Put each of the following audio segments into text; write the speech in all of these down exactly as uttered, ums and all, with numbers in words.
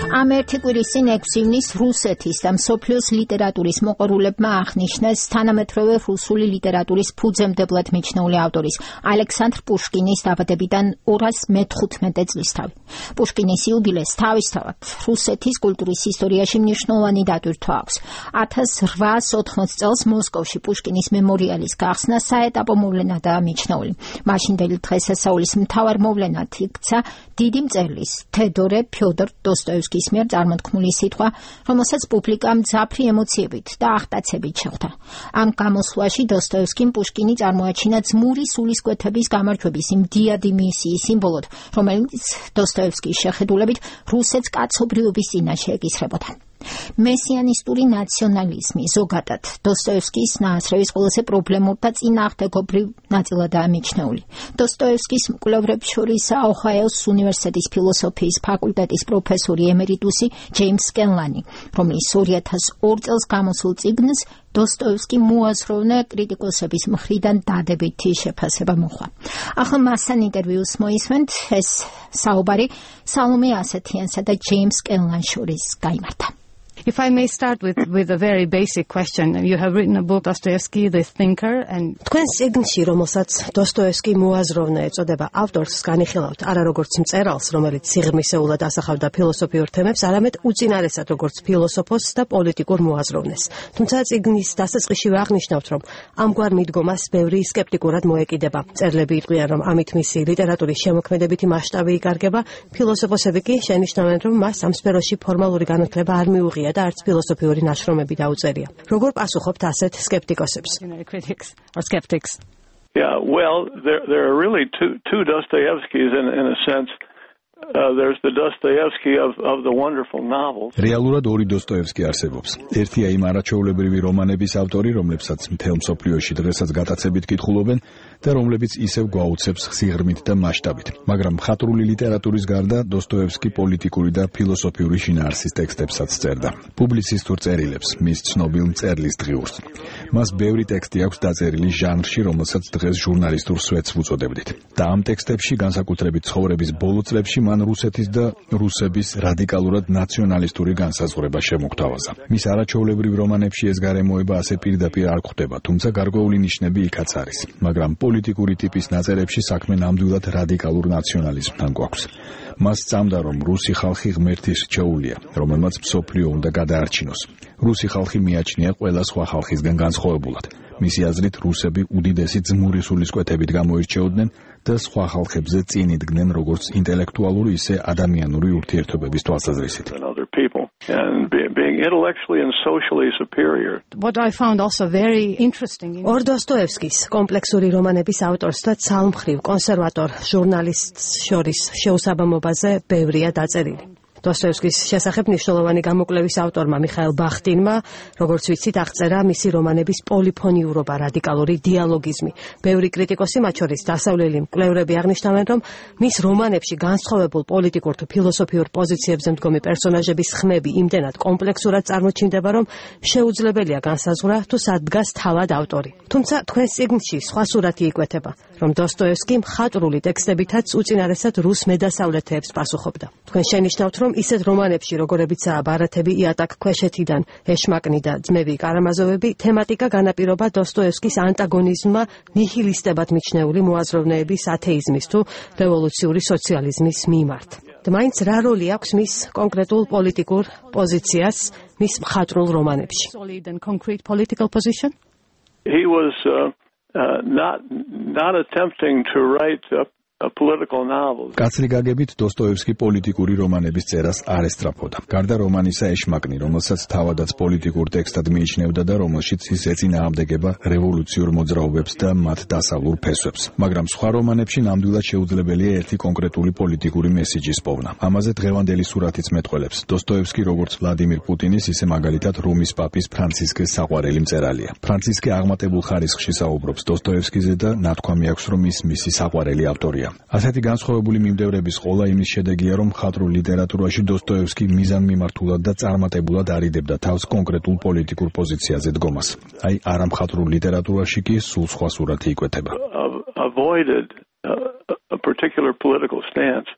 ამ ერთი კვირის წინ ექვსი ივნის რუსეთის და მსოფლიოს ლიტერატურის მოყვარულებმა აღნიშნეს თანამედროვე რუსული ლიტერატურის ფუძემდებლად მიჩნეული ავტორის ალექსანდრ პუშკინის დაბადებიდან ორას მეთხუთმეტე წლისთავი. პუშკინის იუბილეს თავისთავად რუსეთის კულტურის ისტორიაში მნიშვნელოვანი დატვირთვა აქვს. ათას რვაას ოთხმოცი წელს მოსკოვში პუშკინის მემორიალის გახსნა საეტაპო მოვლენადაა მიჩნეული. მაშინდელი დღესასწაულის მთავარ მოვლენად იქცა დიდი მწერლის თედორე ფიოდორ დოსტოევსკის მიერ წარმოთქმული სიტყვა, რომელსაც პუბლიკა მძაფრი ემოციებით და აღტაცებით შეხვდა. ამ გამოსვლაში დოსტოევსკიმ პუშკინი წარმოაჩინა ძმური სულისკვეთების გამარჯვების იმ დიადი მისიის სიმბოლოდ, რომელიც დოსტოევსკის შეხედულებით რუსეთს კაცობრიობის წინაშე ეკისრებოდა. მესიანისტური ნაციონალიზმი ზოგადად დოსტოევსკის ნაასრევის ყველაზე პრობლემურ და წინააღმდეგობრივ ნაწილადაა მიჩნეული. დოსტოევსკის მკვლევრებს შორისაა ოჰაიოს უნივერსიტეტის ფილოსოფიის ფაკულტეტის პროფესორი ემერიტუსი ჯეიმს სკენლანი, რომელიც ორი ათას ორ წელს გამოსულ წიგნს დოსტოევსკი მოაზროვნე კრიტიკოსების მხრიდან დადებითი შეფასება მოჰყვა. ახლა მასთან ინტერვიუს მოისმენთ, ეს საუბარი სალომე ასათიანსა და ჯეიმს სკენლანს შორის გაიმართა. If I may start with, with a very basic question. You have written a book, Dostoevsky, The Thinker, and... თქვენ წიგნში, რომელსაც დოსტოევსკი მოაზროვნე ეწოდება, ავტორს განიხილავთ არა როგორც მწერალს, რომელიც სიღრმისეულად ასახავდა ფილოსოფიურ თემებს, არამედ უწინარესად როგორც ფილოსოფოსს და პოლიტიკურ მოაზროვნეს. თუმცა წიგნის დასაწყისშივე აღნიშნავთ, რომ ამგვარ მიდგომას ბევრი სკეპტიკურად მოეკიდება. მწერლები იტყვიან, რომ ამით მისი ლიტერატურის შემოქმედებითი მასშტაბი იკარგება, ფილოსოფოსები კი შენიშნავენ, რომ მას ამ სფეროში ფორმალური განათლება არ მიუღია და არც ფილოსოფიური ნაშრომები დაუწერია. როგორ პასუხობთ ასეთ სკეპტიკოსებს? Critics or skeptics. Yeah, well, there there are really two two Dostoevskys in in a sense. Uh, there's the Dostoevsky of of the wonderful novels. რეალურად ორი დოსტოევსკი არსებობს. ერთია იმ არაჩვეულებრივი რომანების ავტორი, რომლებსაც მთელ მსოფლიოში დღესაც გატაცებით კითხულობენ და რომლებიც ისევ გვაუცებს სიღრმით და მასშტაბით. მაგრამ მხატვრული ლიტერატურის გარდა დოსტოევსკი პოლიტიკური და ფილოსოფიური შინაარსის ტექსტებსაც წერდა. პუბლიცისტურ წერილებს, მის ცნობილ მწერლის დღიურს. მას ბევრი ტექსტი აქვს დაწერილი ჟანრში, რომელსაც დღეს ჟურნალისტურ სვეტს ვუწოდებდით. და ამ ტექსტებში, განსაკუთრებით ცხოვრების ბოლო წლებში, მან რუსეთის და რუსების რადიკალურად ნაციონალისტური განსაზღვრება შემოგთავაზა. მის არაჩვეულებრივ რომანებში ეს გარემოება ასე პირდაპირ არ გვხვდება, თუმცა გარკვეული ნიშნები იქაც არის. მაგრამ პოლიტიკური ტიპის ნაწერებში საქმე ნამდვილად რადიკალურ ნაციონალიზმთან გვაქვს. მას სწამდა, რომ რუსი ხალხი ღმერთის რჩეულია, რომელმაც მსოფლიო უნდა გადაარჩინოს. რუსი ხალხი მიაჩნია ყველა სხვა ხალხისგან განსხვავებულად. მისი აზრით რუსები უდიდესი ძმური სულისკვეთებით გამოირჩეოდნენ და სხვა ხალხებზე წინ იდგნენ როგორც ინტელექტუალური, ისე ადამიანური ურთიერთობების თვალსაზრისით. And being intellectually and socially superior. What I found also very interesting in ორ დოსტოევსკის კომპლექსური რომანების ავტორს და ცალმხრივ კონსერვატორ ჟურნალისტს შორის შეუსაბამობაზე ბევრია დაწერილი. დოსტოევსკის შესახებ მნიშვნელოვანი გამოკვლევის ავტორმა მიხაილ ბახტინმა, როგორც ვიცით, აღწერა მისი რომანების პოლიფონიურობა, რადიკალური დიალოგიზმი. ბევრი კრიტიკოსი, მათ შორის დასავლელი მკვლევრები აღნიშნავენ, რომ მის რომანებში განსხვავებულ პოლიტიკურ თუ ფილოსოფიურ პოზიციებზე მდგომი პერსონაჟების ხმები იმდენად კომპლექსურად წარმოჩინდება, რომ შეუძლებელია განსაზღვრა თუ სად დგას თავად ავტორი. თუმცა თქვენს წიგნში სხვა სურათი იკვეთება, რომ დოსტოევსკი მხატვრული ტექსტებითაც უწინარესად რუს მედასავლეთეებს პასუხობდა. თქვენ შენიშნავთ, რომ ისეთ რომანებში, როგორებიცაა ბარათები იატაკ ქვეშეთიდან, ეშმაკნი და ძმები კარამაზოვები, თემატიკა განაპირობა დოსტოევსკის ანტაგონიზმმა ნიჰილისტებად მიჩნეული მოაზროვნეების ათეიზმის თუ რევოლუციური სოციალიზმის მიმართ. მაინც რა როლი აქვს მის კონკრეტულ პოლიტიკურ პოზიციას მის მხატვრულ რომანებში? solid and concrete political position? He was uh, uh, not not attempting to write a a political novel. კაცრი გაგებით დოსტოევსკი პოლიტიკური რომანების წერას არ ესწრაფოდა. გარდა რომანისა ეშმაკნი, რომელსაც თავადაც პოლიტიკურ ტექსტად მიიჩნევდა და რომელშიც ის ეწინააღმდეგება რევოლუციურ მოძრაობებს და მათ დასავლურ ფესვებს. მაგრამ სხვა რომანებში ნამდვილად შეუძლებელია ერთი კონკრეტული პოლიტიკური მესიჯის პოვნა. ამაზე დღევანდელი სურათიც მეტყველებს. დოსტოევსკი როგორც ვლადიმირ პუტინის, ისე მაგალითად რომის პაპის ფრანცისკეს საყვარელი მწერალია. ფრანცისკე აღმატებულ ხარისხში საუბრობს დოსტოევსკიზე და ნათქვამი აქვს, რომ ის მისი საყვარელი ავტორია. ასეთი განსხვავებული მიმდევრების ყოლა იმის შედეგია, რომ მხატვრულ ლიტერატურაში დოსტოევსკი მიზანმიმართულად და წარმატებულად არიდებდა თავს კონკრეტულ პოლიტიკურ პოზიციაზე დგომას. აი, არა მხატვრულ ლიტერატურაში კი სულ სხვა სურათი იკვეთება. Avoided a particular political stance,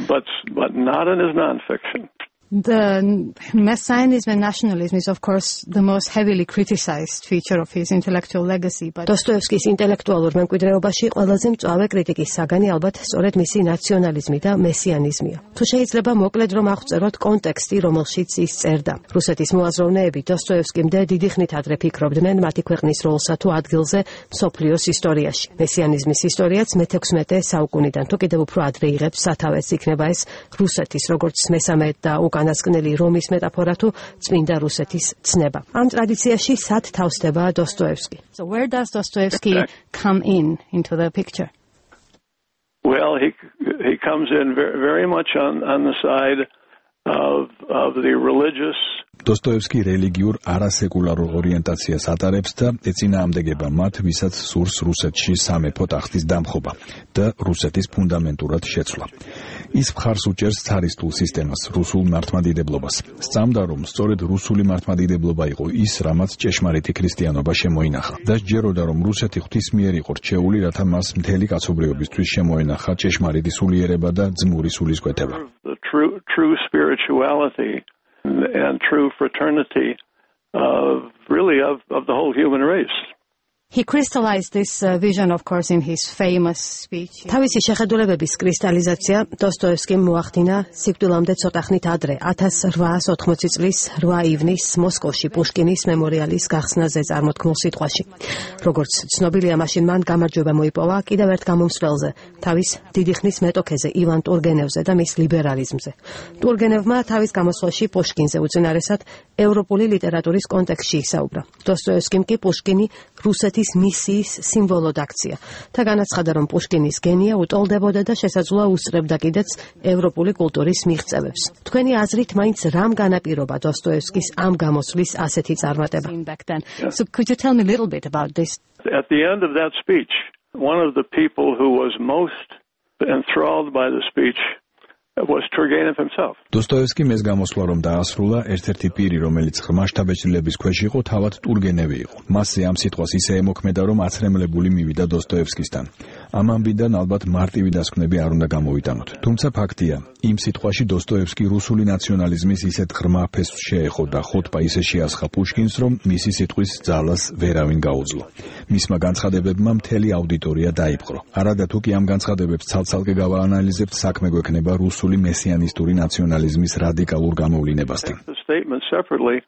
but but not in his non-fiction. The messianism and nationalism is, of course, the most heavily criticized feature of his intellectual legacy. But დოსტოევსკის ინტელექტუალურ მემკვიდრეობაში ყველაზე მწვავე კრიტიკის საგანი ალბათ სწორედ მისი ნაციონალიზმი და მესიანიზმია. თუ შეიძლება მოკლედ რომ აღწეროთ კონტექსტი, რომელშიც ის წერდა. რუსეთის მოაზროვნეები დოსტოევსკიმდე დიდი ხნით ადრე ფიქრობდნენ მათი ქვეყნის როლსა თუ ადგილზე მსოფლიოს ისტორიაში. მესიანიზმის ისტორიაც მეთექვსმეტე საუკუნიდან თუ კიდევ უფრო ადრე იღებს სათავეს, იქნება ეს რუსეთის როგორც მესამე და უკანასკნელი რომის მეტაფორა თუ წმინდა რუსეთის ცნება. ამ ტრადიციაში სად თავსდება დოსტოევსკი? So where does Dostoevsky come in into the picture? Well, he he comes in very, very much on on the side of of the religious. დოსტოევსკი რელიგიურ არასეკულარულ ორიენტაციას ატარებს და ეწინააღმდეგება მათ, ვისაც სურს რუსეთში სამეფო ტახტის დამხობა და რუსეთის ფუნდამენტურად შეცვლა. ის მხარს უჭერს ცარისტულ სისტემას, რუსულ მართლმადიდებლობას. სწამდა, რომ სწორედ რუსული მართლმადიდებლობა იყო ის, რამაც ჭეშმარიტი ქრისტიანობა შემოინახა და სჯეროდა, რომ რუსეთი ღვთისმიერ იყო რჩეული, რათა მას მთელი კაცობრიობისთვის შემოენახა ჭეშმარიტი სულიერება და ძმური სულისკვეთება. The true true spirituality and true fraternity of really of of the whole human race. He crystallized this uh, vision, of course, in his famous speech. თავისი შეხედულებების კრისტალიზაცია დოსტოევსკიმ მოახდინა სიკვდილამდე ცოტა ხნით ადრე, ათას რვაას ოთხმოცი წლის რვა ივნისს მოსკოვში პუშკინის მემორიალის გახსნაზე წარმოთქმულ სიტყვაში. როგორც ცნობილია, მაშინ მან გამარჯვება მოიპოვა კიდევ ერთ გამომსვლელზე, თავის დიდი ხნის მეტოქეზე ივან ტურგენევზე და მის ლიბერალიზმზე. ტურგენევმა თავის გამოსვლაში პუშკინზე უწინარესად ევროპული ლიტერატურის კონტექსტში ისაუბრა. დოსტოევსკიმ კი პუშკინი რუსეთის მისიის სიმბოლოდ აქცია. და განაცხადა, რომ პუშკინის გენია უტოლდებოდა და შესაძლოა უსწრებდა კიდეც ევროპული კულტურის მიღწევებს. თქვენი აზრით, მაინც რამ განაპირობა დოსტოევსკის ამ გამოსვლის ასეთი წარმატება? So could you tell me a little bit about this? At the end of that speech, one of the people who was most enthralled by the speech was Turgenev himself. დოსტოევსკიმ ეს გამოსვლა რომ დაასრულა, ერთ-ერთი პირი, რომელიც ღრმა შთაბეჭდილების ქვეშ იყო, თავად ტურგენევი იყო. მასზე ამ სიტყვას ისე ემოქმედა, რომ აცრემლებული მივიდა დოსტოევსკისთან. ამ ამბიდან ალბათ მარტივი დასკვნები არ უნდა გამოვიტანოთ. თუმცა ფაქტია, იმ სიტყვაში დოსტოევსკი რუსული ნაციონალიზმის ისეთ ღრმა ფესვს შეეხო და ხოტბა ისე შეასხა პუშკინს, რომ მისი სიტყვის ძალას ვერავინ გაუძლო. მისმა განცხადებებმა მთელი აუდიტორია დაიპყრო. არადა თუ კი ამ განცხადებებს ცალ-ცალკე გავაანალიზებთ, საქმე გვექნება რუსული მესიანისტური ნაციონალიზმის რადიკალურ გამოვლინებასთან. The statements separately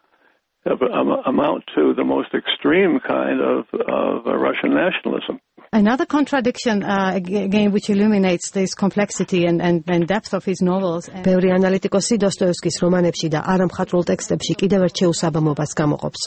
amount to the most extreme kind of of Russian nationalism. Another contradiction, uh, again, which illuminates this complexity and, and, and depth of his novels. ბევრი ანალიტიკოსი დოსტოევსკის რომანებში და არამხატვრულ ტექსტებში კიდევ ერთ შეუსაბამობას გამოყოფს.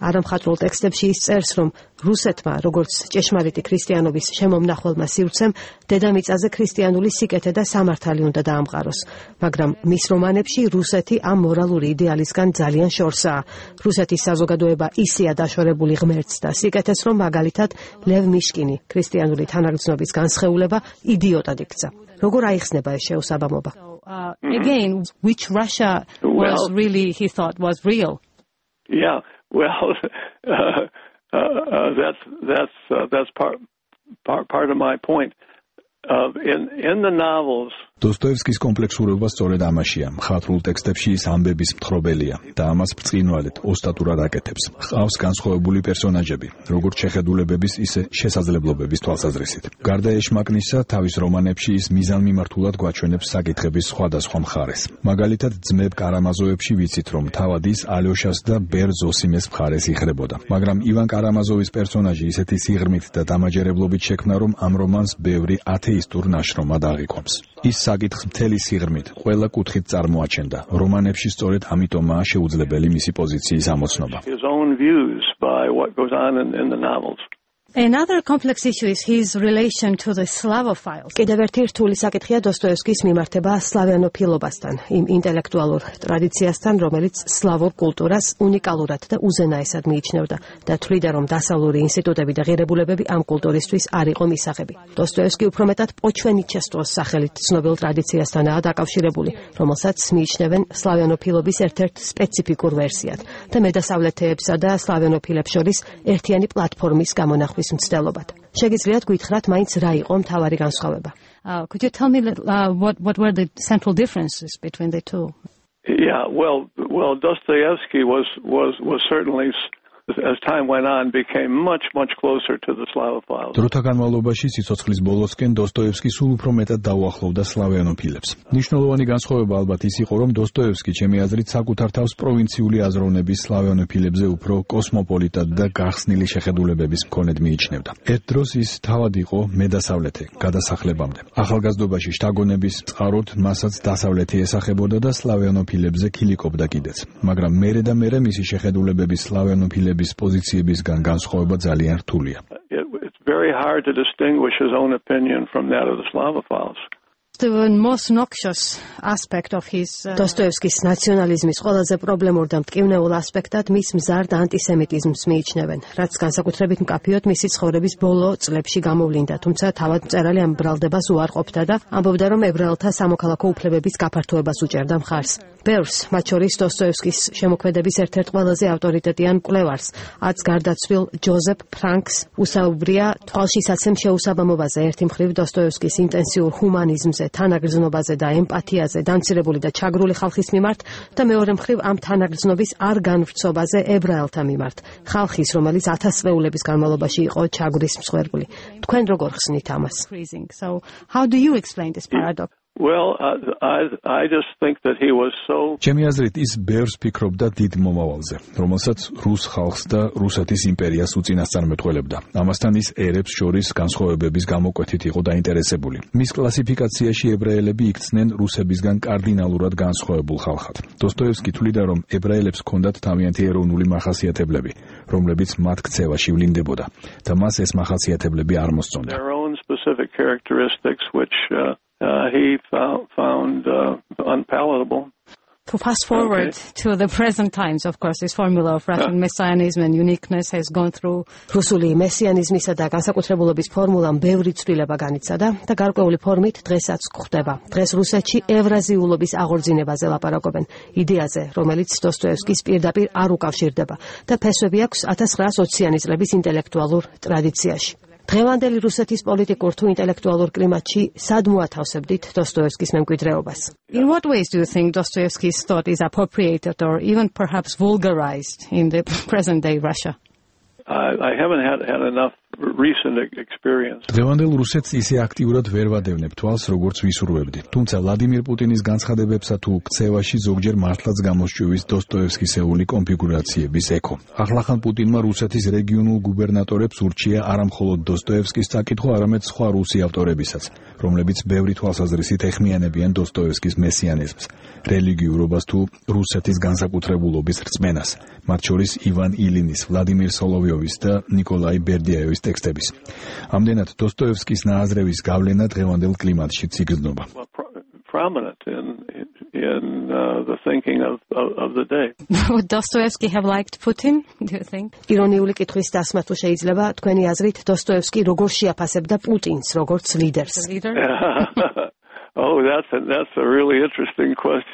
არამხატვრულ ტექსტებში ის წერს, რომ რუსეთმა, როგორც ჭეშმარიტი ქრისტიანობის შემომნახველმა სივრცემ, დედამიწაზე ქრისტიანული სიკეთე და სამართალი უნდა დაამყაროს. მაგრამ მის რომანებში რუსეთი ამ მორალური იდეალისგან ძალიან შორსაა. რუსეთის საზოგადოება ისეა დაშორებული ღმერთს და სიკეთეს, რომ მაგალითად ლევ მიშკინი ქრისტიანული თანაგრძნობის განსხეულება idiotat იქცა. როგორ აიხსნება ეს შეუსაბამობა? So, uh, again, which Russia was Well, really, he thought, was real? Yeah, well, uh, uh, uh, that's that's uh, that's part part part of my point. Uh, in in the novels. დოსტოევსკის კომპლექსურობა სწორედ ამაშია. მხატვრულ ტექსტებში ის ამბების მთხრობელია და ამას ბრწყინვალედ ოსტატურად აკეთებს. ჰყავს განსხვავებული პერსონაჟები, როგორც შეხედულებების, ისე შესაძლებლობების თვალსაზრისით. გარდა ეშმაკნისა, თავის რომანებში ის მიზანმიმართულად გვაჩვენებს საკითხების სხვადასხვა მხარეს. მაგალითად, ძმებ კარამაზოვებში ვიცით, რომ თავად ის ალოშას და ბერ ზოსიმეს მხარეს იხრებოდა. მაგრამ ივან კარამაზოვის პერსონაჟი ისეთი სიღრმით და დამაჯერებლობით შექმნა, რომ ამ რომანს ბევრი ათეისტურ ნაშრომად აღიქვამს. ის საკითხს მთელი სიღრმით, ყველა კუთხით წარმოაჩენდა. რომანებში სწორედ ამიტომაა შეუძლებელი მისი პოზიციის ამოცნობა. His own views by what goes on in, in the novels. Another complex issue is his relation to the Slavophiles. კიდევ ერთი რთული საკითხია დოსტოევსკის მიმართება სლავიანოფილობასთან, იმ ინტელექტუალურ ტრადიციასთან, რომელიც სლავურ კულტურას უნიკალურად და უზენაესად მიიჩნევდა და თვლიდა, რომ დასავლური ინსტიტუტები და ღირებულებები ამ კულტურისთვის არ იყო მისაღები. დოსტოევსკი უფრო მეტად პოჩვენიჩესტოს სახელით ცნობილ ტრადიციასთანაა დაკავშირებული, რომელსაც მიიჩნევენ სლავიანოფილობის ერთ-ერთ სპეციფიკურ ვერსიად და მედასავლეთეებსა და სლავიანოფილებს შორის ერთიანი პლატფორმის გამონახვა მცდელობად. შეგიძლიათ გითხრათ, მაინც რა იყო მთავარი განსხვავება? Uh, could you tell me uh, what what were the central differences between the two? Yeah, well, well, Dostoevsky was was was certainly, as time went on, became much much closer to the Slavophiles. დროთა განმავლობაში სიცოცხლის ბოლოსკენ დოსტოევსკი სულ უფრო მეტად დაუახლოვდა სლავიანოფილებს. ნიშნულოვანი განსხვავება ალბათ ის იყო, რომ დოსტოევსკი ჩემი აზრით საკუთარ თავს პროვინციული აზროვნების სლავიანოფილებზე უფრო კოსმოპოლიტად და გახსნილი შეხედულებების მქონედ მიიჩნევდა. ერთ დროს ის თავად იყო მედასავლეთე გადასახლებამდე. ახალგაზრდობაში შთაგონების წყაროდ მასაც დასავლეთი ესახებოდა და სლავიანოფილებზე ქილიკობდა კიდეც. მაგრამ მერე და მერე მისი შეხედულებების სლავიანოფილების პოზიციებისგან განსხვავება ძალიან რთულია. It's very hard to distinguish his own opinion from that of the Slavophiles. The most noxious aspect of his Dostoevsky's ნაციონალიზმის ყველაზე პრობლემურ და მტკივნეულ ასპექტად მის მზარდ ანტისემიტიზმს მიიჩნევენ, რაც განსაკუთრებით მკაფიოდ მისი ცხოვრების ბოლო წლებში გამოვლინდა, თუმცა თავად მწერალი ამ ბრალდებას უარყოფდა და ამბობდა, რომ ებრაელთა სამოქალაქო უფლებების გაფართოებას უჭერდა მხარს. ბევრს, მათ შორის დოსტოევსკის შემოქმედების ერთ-ერთ ყველაზე ავტორიტეტიან მკვლევარს, აც გარდაცვლილ ჯოზეფ ფრანკს უსაუბრია თვალშისაცემ შეუსაბამობაზე, ერთი მხრივ დოსტოევსკის ინტენსიურ ჰუმანიზმზე, თანაგრძნობაზე და ემპათიაზე დამცირებული და ჩაგრული ხალხის მიმართ და მეორე მხრივ ამ თანაგრძნობის არ განვრცობაზე ებრაელთა მიმართ, ხალხის, რომელიც ათასწლეულების განმავლობაში იყო ჩაგვრის მსხვერპლი. თქვენ როგორ ხსნით ამას? So how do you explain this paradox? Well, I I just think that he was so ჩემი აზრით ის ბევრს ფიქრობდა დიდ მომავალზე, რომელსაც რუს ხალხს და რუსეთის იმპერიას უწინასწარმეტყველებდა. ამასთან ის ერებს შორის განსხვავებების გამოკვეთით იყო დაინტერესებული. მის კლასიფიკაციაში ებრაელები იქცნენ რუსებისგან კარდინალურად განსხვავებულ ხალხად. დოსტოევსკი თვლიდა, რომ ებრაელებს ჰქონდათ თავიანთი ეროვნული მახასიათებლები, რომლებიც მათ ქცევაში ვლინდებოდა და მას ეს მახასიათებლები არ მოსწონდა. their own specific characteristics which uh, uh, he found, found uh, unpalatable. To fast forward Okay. to the present times, of course, this formula of Russian messianism and uniqueness has gone through რუსული მესიანიზმისა და განსაკუთრებულობის ფორმულამ ბევრი ცვლილება განიცადა და გარკვეული ფორმით დღესაც გვხვდება. დღეს რუსეთში ევრაზიულობის აღორძინებაზე ლაპარაკობენ, იდეაზე, რომელიც დოსტოევსკის პირდაპირ არ უკავშირდება და ფესვები აქვს ათას ცხრაას ოციანი წლების ინტელექტუალურ ტრადიციაში. დღევანდელი რუსეთის პოლიტიკურ თუ ინტელექტუალურ კლიმატში სად მოათავსებდით დოსტოევსკის მემკვიდრეობას? In what ways do you think Dostoevsky's thought is appropriated or even perhaps vulgarized in the present day Russia? I, I haven't had, had enough recent experience. დღევანდელ რუსეთს ისე აქტიურად ვერ ვადევნებ თვალს, როგორც ვისურვებდი. თუმცა ვლადიმირ პუტინის განცხადებებსა თუ ქცევაში ზოგჯერ მართლაც გამოსჭვივის დოსტოევსკისეული კონფიგურაციების ექო. ახლახან პუტინმა რუსეთის რეგიონულ გუბერნატორებს ურჩია არა მხოლოდ დოსტოევსკის წაკითხვა, არამედ სხვა რუსი ავტორებისაც, რომლებიც ბევრი თვალსაზრისით ეხმიანებიან დოსტოევსკის მესიანიზმს, რელიგიურობას თუ რუსეთის განსაკუთრებულობის რწმენას, მათ შორის ივან ილინის, ვლადიმირ სოლოვიოვის და ნიკოლაი ბერდიაევის ტექსტების. ამდენად დოსტოევსკის ნააზრევის გავლენა დღევანდელ კლიმატშიც იგრძნობა. Well, pro- prominent in in uh, the thinking of, of of the day. Would Dostoevsky have liked Putin, do you think? ირონიული კითხვის დასმა თუ შეიძლება, თქვენი აზრით დოსტოევსკი როგორ შეაფასებდა პუტინს, როგორც ლიდერს? The leader? Oh, that's a, that's a really interesting question.